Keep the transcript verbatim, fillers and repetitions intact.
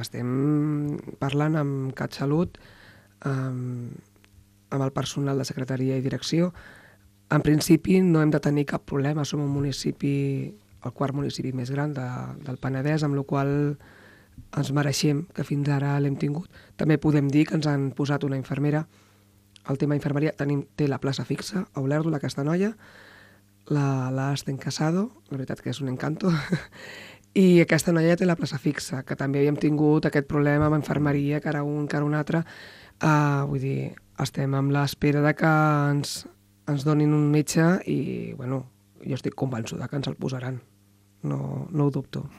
estem parlant amb CatSalut, amb, amb el personal de secretaria i direcció. En principi no hem de tenir cap problema, som un municipi, el quart municipi més gran de, del Penedès, amb la qual ens mereixem, que fins ara l'hem tingut. També podem dir que ens han posat una infermera. El tema infermeria tenim, té la plaça fixa a Olèrdola, aquesta noia, la, la Asten Casado, la veritat que és un encanto, i aquesta noia té la plaça fixa, que també havíem tingut aquest problema amb infermeria, que ara un, que ara un altre. Uh, vull dir, estem amb l'espera de que ens, ens donin un metge i, bueno, jo estic convençuda que ens el posaran. No, no ho dubto.